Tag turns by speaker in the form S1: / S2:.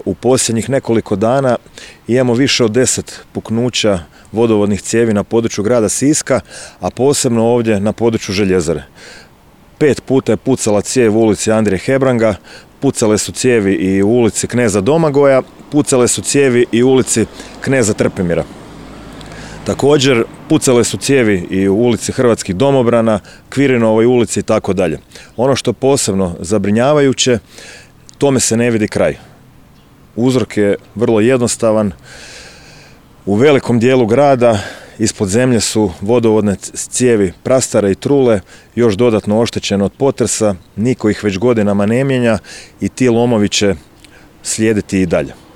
S1: U posljednjih nekoliko dana imamo više od 10 puknuća vodovodnih cijevi na području grada Siska, a posebno ovdje na području željezare. 5 puta je pucala cijev u ulici Andrije Hebranga, pucale su cijevi i u ulici Kneza Domagoja, pucale su cijevi i u ulici Kneza Trpimira. Također, pucale su cijevi i u ulici Hrvatskih domobrana, Kvirinovoj ulici i tako dalje. Ono što je posebno zabrinjavajuće, tome se ne vidi kraj. Uzrok je vrlo jednostavan. U velikom dijelu grada ispod zemlje su vodovodne cijevi prastare i trule, još dodatno oštećene od potresa, niko ih već godinama ne mijenja i ti lomovi će slijediti i dalje.